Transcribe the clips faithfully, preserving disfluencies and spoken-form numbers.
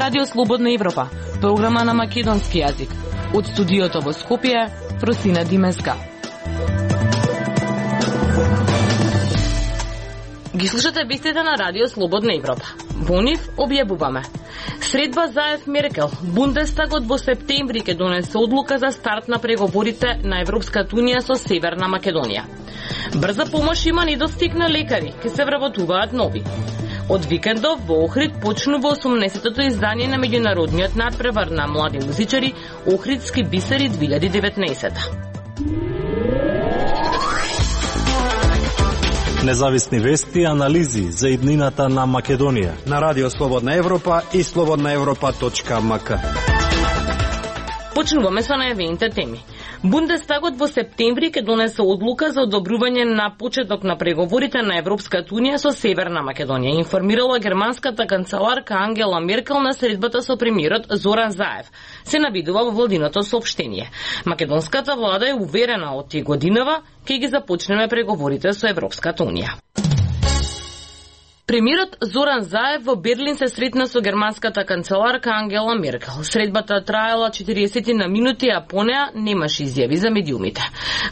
Радио Слободна Европа, програма на македонски јазик. Од студиото во Скопје, Просина Димеска. Ги слушате вестите на Радио Слободна Европа. Во нив објавуваме: средба Заев-Меркел, Бундестагот во септември ќе донесе одлука за старт на преговорите на Европската унија со Северна Македонија. Брза помош има недостиг на лекари, ќе се вработуваат нови. Од викендов во Охрид почнува осумнесетото издание на меѓународниот надпревар на млади музичари Охридски бисери две илјади и деветнаесетта. Независни вести и анализи за иднината на Македонија на Радио Слободна Европа и слободна европа точка ем ка. Почнуваме со најавените теми. Бундестагот во септември ќе донесе одлука за одобрување на почеток на преговорите на Европската унија со Северна Македонија, информирала германската канцеларка Ангела Меркел на средбата со премиерот Зоран Заев. Се навидува во владиното соопштение. Македонската влада е уверена од тие годинава ќе ги започнеме преговорите со Европската унија. Премиерот Зоран Заев во Берлин се сретна со германската канцеларка Ангела Меркел. Средбата траела четириесет на минути, а по неа немаше изјави за медиумите.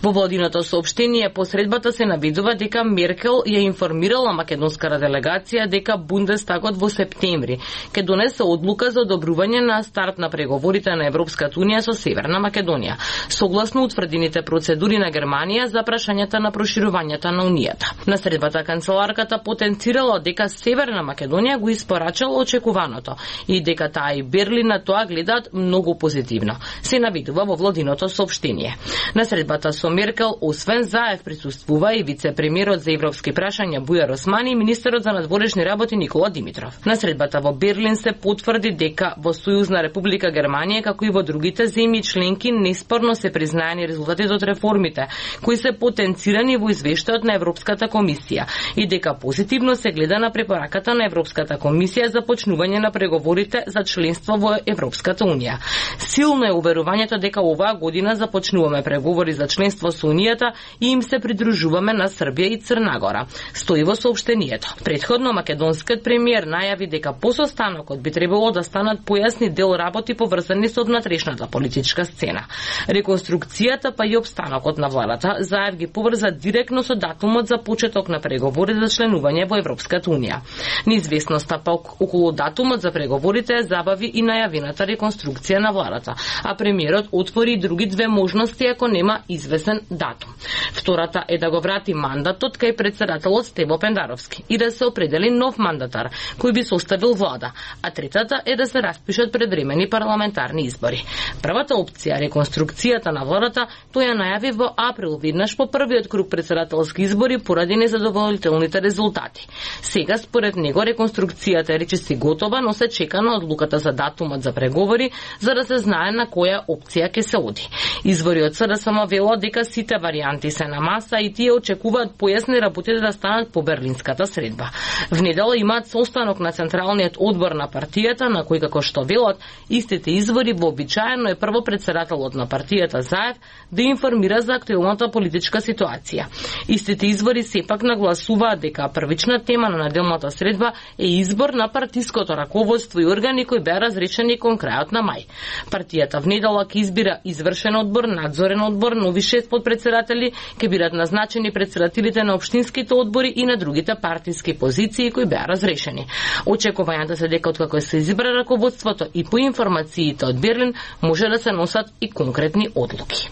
Во владиното соопштение по средбата се навидува дека Меркел ја информирала македонската делегација дека Бундестагот во септември ќе донесе одлука за одобрување на старт на преговорите на Европската унија со Северна Македонија, согласно утврдените процедури на Германија за прашањата на проширувањето на унијата. На средбата канцеларката потенцирала дека Северна Македонија го испорачала очекуваното и дека таа и Берлин на тоа гледаат многу позитивно, се навидува во владиното соопштение. На средбата со Меркел, освен Заев, присуствува и вице-премиерот за европски прашања Бујар Османи и министерот за надворешни работи Никола Димитров. На средбата во Берлин се потврди дека во Сојузна република Германија, како и во другите земји членки, неспорно се признаени резултатите од реформите, кои се потенцирани во извештајот на Европската комисија и дека позитивно се гледа на препораката на Европската комисија за почнување на преговорите за членство во Европската унија. Силно е уверувањето дека оваа година започнуваме преговори за членство со унијата и им се придружуваме на Србија и Црна Гора, стои во соопштението. Претходно македонскиот премиер најави дека по состанокот би требало да станат појасни дел работи поврзани со внатрешната политичка сцена. Реконструкцијата па и обстанокот на владата Заев ги поврза директно со датумот за почеток на преговори за членување во Европската унија. Неизвестноста па околу датумот за преговорите забави и најавената реконструкција на владата, а премиерот отвори и други две можности ако нема известен датум. Втората е да го врати мандатот кај претседателот Стево Пендаровски и да се определи нов мандатар кој би составил влада, а третата е да се распишат предвремени парламентарни избори. Првата опција, реконструкцијата на владата, тој ја најави во април веднаш по првиот круг претседателски избори поради незадоволителните резултати. Сега, според него, реконструкцијата е речиси готова, но се чека на одлуката за датумот за преговори, за да се знае на која опција ќе се оди. Извори од СДСМ велат дека сите варианти се на маса и тие очекуваат појасни работите да станат по берлинската средба. В недела имаат состанок на Централниот одбор на партијата, на кој, како што велат истите извори, вообичаено е прво претседателот на партијата Заев да информира за актуелната политичка ситуација. Истите извори сепак нагласуваат дека првична тема на неделната средба е избор на партиското раководство и органи кои беа разрешени кон крајот на мај. Партијата в недела ќе избира извршен одбор, надзорен одбор, нови шест подпредседатели, ќе бидат назначени председателите на општинските одбори и на другите партиски позиции кои беа разрешени. Очекувањата се дека откако се избра раководството и по информациите од Берлин може да се носат и конкретни одлуки.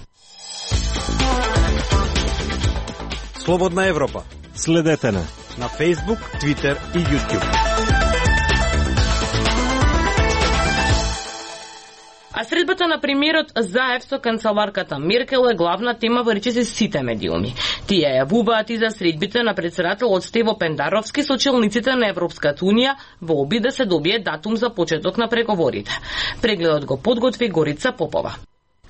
Слободна Европа. Следете на на Facebook, Twitter и YouTube. А средбата на премиерот Заев со канцеларката Меркел е главна тема во речиси сите медиуми. Тие јавуваат и за средбите на претседателот Стево Пендаровски со челниците на Европската унија во обид да се добие датум за почеток на преговорите. Прегледот го подготви Горица Попова.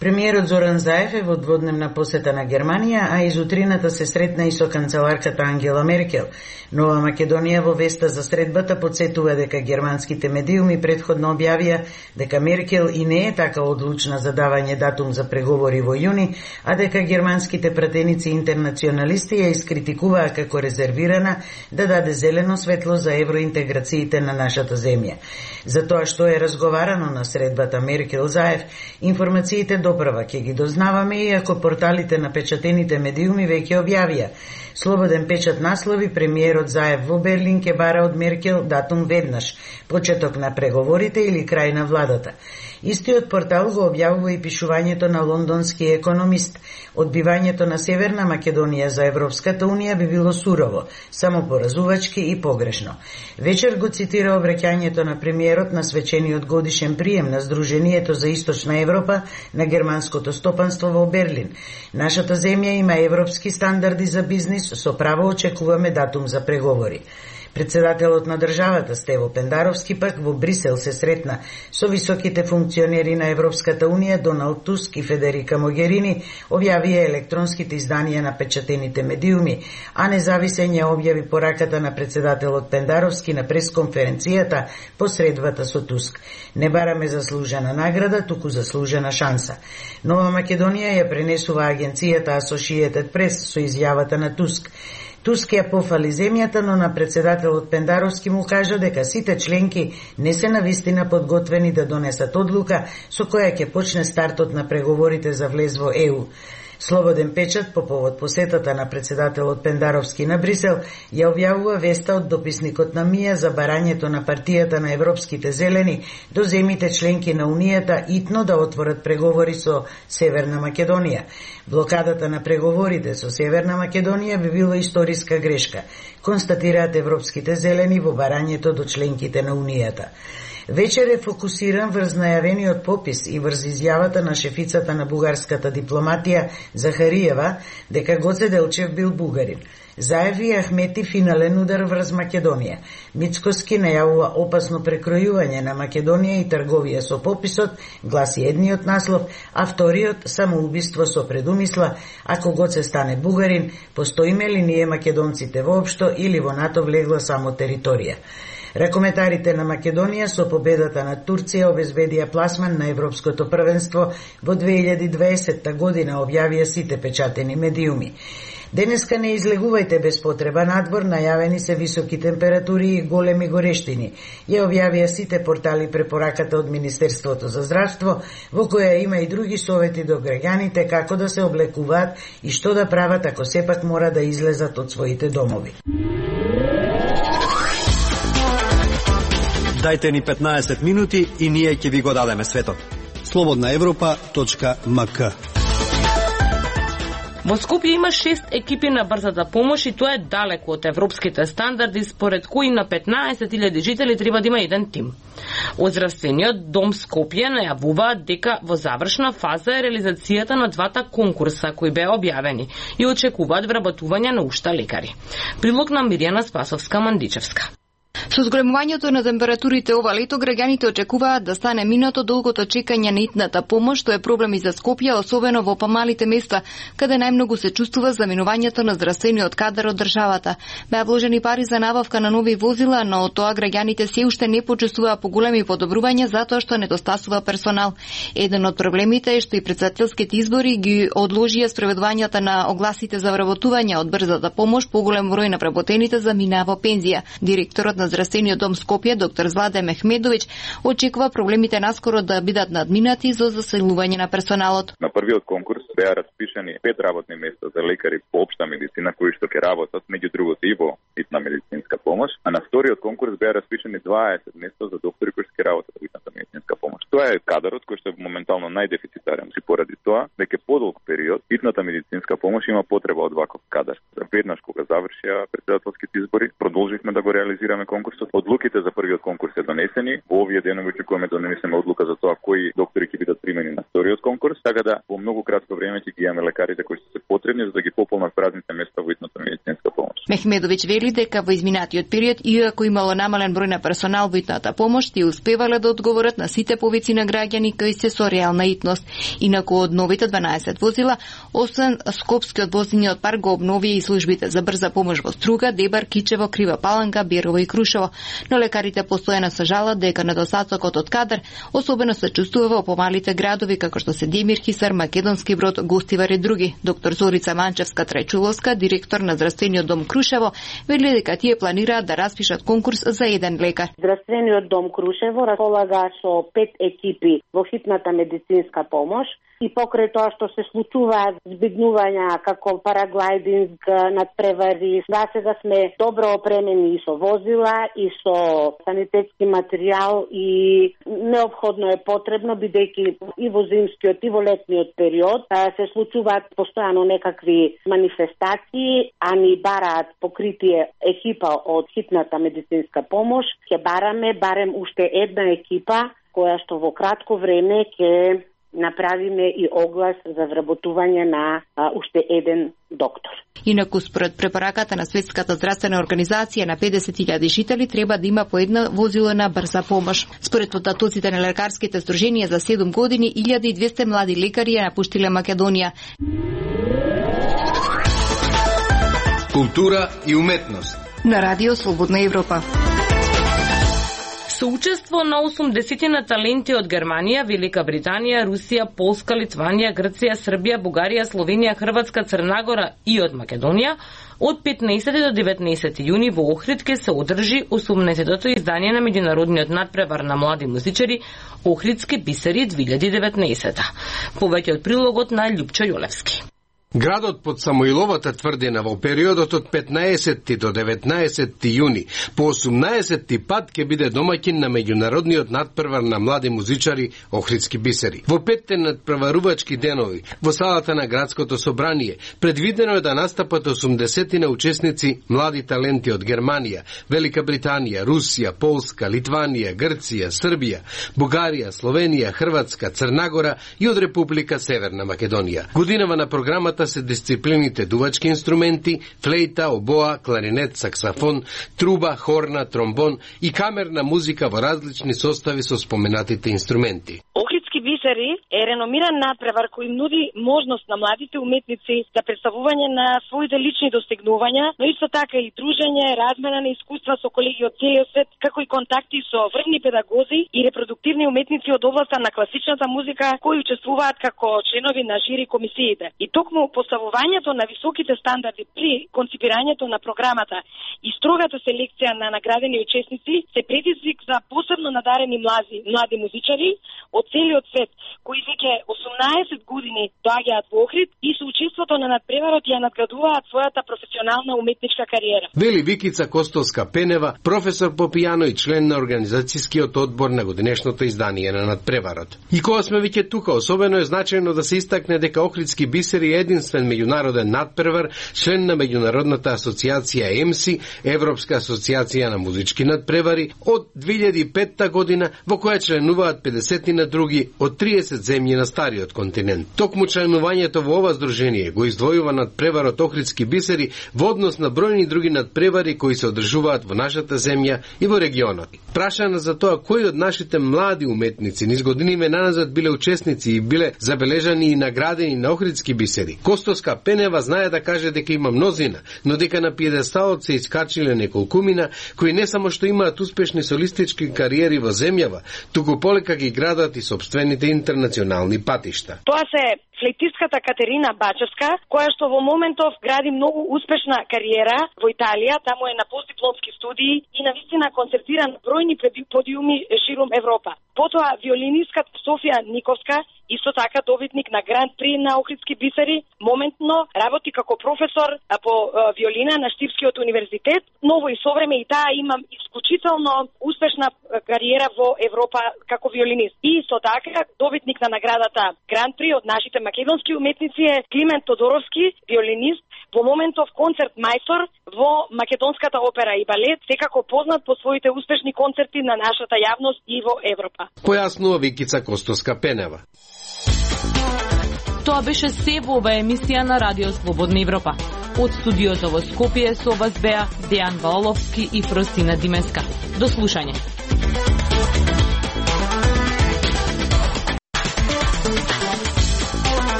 Премиерот Зоран Заев е во дводневна посета на Германија, а изутрината се сретна и со канцеларката Ангела Меркел. Нова Македонија во веста за средбата подсетува дека германските медиуми претходно објавија дека Меркел и не е така одлучна за давање датум за преговори во јуни, а дека германските пратеници интернационалисти ја искритикуваа како резервирана да даде зелено светло за евроинтеграциите на нашата земја. За тоа што е разговарано на средбата Меркел-Заев, информациите доправа ќе ги дознаваме, иако порталите на печатените медиуми веќе објавија. Слободен печат наслови: премиерот Заев во Берлин ќе бара од Меркел датум веднаш, почеток на преговорите или крај на владата. Истиот портал го објавува и пишувањето на лондонски економист: одбивањето на Северна Македонија за Европската унија би било сурово, самопоразувачки и погрешно. Вечер го цитира обраќањето на премиерот на свечениот годишен прием на Сдруженијето за Источна Европа на германското стопанство во Берлин. Нашата земја има европски стандарди за бизнис, со право очекуваме датум за преговори. Председателот на државата Стево Пендаровски пак во Брисел се сретна со високите функционери на Европската унија Доналд Туск и Федерика Могерини, објавија електронските изданија на печатените медиуми, а независен ја објави пораката на председателот Пендаровски на пресконференцијата по средбата со Туск. Не бараме заслужена награда, туку заслужена шанса. Нова Македонија ја пренесува агенцијата Associated Press со изјавата на Туск. Туск ја пофали земјата, но на председателот Пендаровски му кажа дека сите членки не се навистина подготвени да донесат одлука со која ќе почне стартот на преговорите за влез во Е У. Слободен печат по повод посетата на председателот Пендаровски на Брисел ја објавува веста од дописникот на МИА за барањето на партијата на Европските зелени до земите членки на Унијата итно да отворат преговори со Северна Македонија. Блокадата на преговорите со Северна Македонија би било историска грешка, констатираат Европските зелени во барањето до членките на Унијата. Вечер е фокусиран врз најавениот попис и врз изјавата на шефицата на бугарската дипломатија Захариева дека Гоце Делчев бил бугарин. Заев и Ахмети финален удар врз Македонија. Мицкоски најавува опасно прекројување на Македонија и трговија со пописот, гласи едниот наслов, а вториот самоубиство со предумисла: ако Гоце стане бугарин, постоиме ли ние македонците воопшто или во НАТО влегла само територија? Ракометарите на Македонија со победата на Турција обезбедија пласман на Европското првенство во две илјади и дваесетта година, објавија сите печатени медиуми. Денеска не излегувајте без потреба надвор, најавени се високи температури и големи горештини. Ја објавија сите портали препораката од Министерството за здравство, во која има и други совети до граѓаните како да се облекуваат и што да прават ако сепак мора да излезат од своите домови. Дајте ни петнаесет минути и ние ќе ви го дадеме светот. слободна европа точка ем ка. Во Скопје има шест екипи на брзата помош и тоа е далеко од европските стандарди, според кои на петнаесет илјади жители треба да има еден тим. Од здравствениот дом Скопје најавуваат дека во завршна фаза е реализацијата на двата конкурса кои беа објавени и очекуваат вработување на уште лекари. Прилог на Миријана Спасовска-Мандичевска. Со зголемувањето на температурите ова лето, граѓаните очекуваат да стане минато долгото чекање на итната помош, што е проблем и за Скопје, особено во помалите места, каде најмногу се чувствува заминувањето на здравствениот кадар од државата. Беа вложени пари за набавка на нови возила, но од тоа граѓаните се уште не почувствуваа поголеми подобрувања затоа што недостасува персонал. Еден од проблемите е што и председателските избори ги одложија спроведувањата на огласите за вработување од брзата помош, поголем број на вработените заминаа во пензија. Директорот на Здравствениот дом Скопје, доктор Зладе Мехмедович, очекува проблемите наскоро да бидат надминати за заселување на персоналот. На првиот конкурс беа распишани пет работни места за лекари по општа медицина кои што ќе работат меѓу другото и во итна медицинска помош, а на вториот конкурс беа распишани дваесет места за доктори кои ќе работат во итната медицинска помош. Тоа е кадарот кој што е моментално најдефицитарен, и поради тоа дека подолг период итната медицинска помош има потреба од ваков кадар. Веднаш кога завршија председателските избори, продолживме да го реализираме конкурсот. Одлуките за првиот конкурс се донесени. Во овие денови очекуваме да донесеме одлука за тоа кои доктори ќе бидат примени на вториот конкурс, така да во многу кратко време ќе ги имаме лекарите кои се потребни за да ги пополнат празните места во итната медицинска помош. Мехмедовиќ вели дека во изминатиот период, иако имало намален број на персонал во итната помош, тие успевале да одговорат на сите повици на граѓани кои се со реална итност. Инаку од новите дванаесет возила, освен Скопскиот возниот парк го обнови и службите за брза помош во Струга, Дебар, Кичево, Крива Паланка, Берово и Крушево. Но лекарите постојано се жалат дека недостатокот од кадар особено се чувствува во помалите градови како што се Демир, Хисар, Македонски Брод, Гостивар и други. Доктор Зорица Манчевска-Трајчуловска, директор на здравствениот дом Крушево, вели дека тие планираат да распишат конкурс за еден лекар. Здравствениот дом Крушево располага со пет екипи во хитната медицинска помош и покрај тоа што се случуваат збегнувања како параглайдинг, надпревари, да сега сме добро опремени и со возила и со санитетски материјал и неопходно е потребно, бидејќи и во зимскиот и во летниот период се случуваат постојано некакви манифестации, а ни бараат покритие екипа од хитната медицинска помош. Ќе бараме барем уште една екипа која што во кратко време ќе направиме и оглас за вработување на а, уште еден доктор. Инаку според препораката на Светската здравствена организација на педесет илјади жители треба да има по една возило на брза помош. Според податоците на лекарските здруженија за седум години илјада и двесте млади лекари ја напуштиле Македонија. Култура и уметност На радио Слободна Европа. Соучество на осумдесет таленти од Германија, Велика Британија, Русија, Полска, Литванија, Грција, Србија, Бугарија, Словенија, Хрватска, Црна Гора и од Македонија, од петнаесети до деветнаесети јуни во Охрид ќе се одржи осумнаесеттото издание на меѓународниот надпревар на млади музичари Охридски бисери две илјади и деветнаесета. Повеќе од прилогот на Љупчо Јолевски. Градот под Самоиловата тврдина во периодот од петнаесети до деветнаесети јуни по осумнаесети пат ќе биде домаќин на меѓународниот надпревар на млади музичари Охридски бисери. Во петте надпреварувачки денови во салата на градското собрание предвидено е да настапат осумдесетина учесници млади таленти од Германија, Велика Британија, Русија, Полска, Литванија, Грција, Србија, Бугарија, Словенија, Хрватска, Црна Гора и од Република Северна Македонија. Годинава на програмата се дисциплините дувачки инструменти, флейта, обоа, кларинет, саксафон, труба, хорна, тромбон и камерна музика во различни состави со споменатите инструменти. Охридски бисери е реномиран надпревар кој нуди можност на младите уметници за представување на своите лични достигнувања, но исто така и дружење, размена на искуства со колеги од целиот свет, како и контакти со врвни педагози и репродуктивни уметници од областа на класичната музика кои учествуваат како членови на жири комисиите. И токму поставувањето на високите стандарди при конципирањето на програмата и строгата селекција на наградени учесници се предизвик за посебно надарени млади, млади музичари од целиот свет, кои веќе осумнаесет години доаѓаат во Охрид и со учеството на надпреварот ја надградуваат својата професионална уметничка кариера. Вели Викица Костовска-Пенева, професор по пијано и член на организацијскиот одбор на годинешното издание на надпреварот. И кога сме веќе тука, особено е значајно да се истакне дека Охридски бисери е единствен меѓународен надпревар, член на меѓународната асоциација ЕМСИ, Европска асоциација на музички надпревари, од две илјади и петта година, во која членуваат педесет на други од триесет земји на стариот континент. Токму членувањето во ова здружение го издвојува надпреварот Охридски бисери во однос на бројни други надпревари кои се одржуваат во нашата земја и во регионот. Прашана за тоа кои од нашите млади уметници низ годиниве наназад биле учесници и биле забележани и наградени на Охридски бисери, Костовска Пенева знае да каже дека има мнозина, но дека на пиедесталот се искачиле неколкумина кои не само што имаат успешни солистички кариери во земјава, туку полека ги градат и собствените интернационални патишта. Тоа се флейтистката Катерина Бачевска, која што во моментов гради многу успешна кариера во Италија, таму е на постдипломски студии и навистина концертира на бројни подиуми ширум Европа. Потоа виолинистката Софија Никовска, исто така добитник на Гранд При на Охридски бисери, моментно работи како професор по виолина на Штипскиот универзитет, но во исовреме и таа има исклучително успешна кариера во Европа како виолинист. И исто така добитник на наградата Гранд При од нашите македонски уметници е Климент Тодоровски, виолинист, во моментов концерт мајстор во Македонската опера и балет, секако познат по своите успешни концерти на нашата јавност и во Европа. Појаснува Викица Костовска-Пенева. Тоа беше се во оваа емисија на Радио Слободна Европа. Од студиото во Скопје со вас беа Дејан Валовски и Фростина Димеска. До слушање.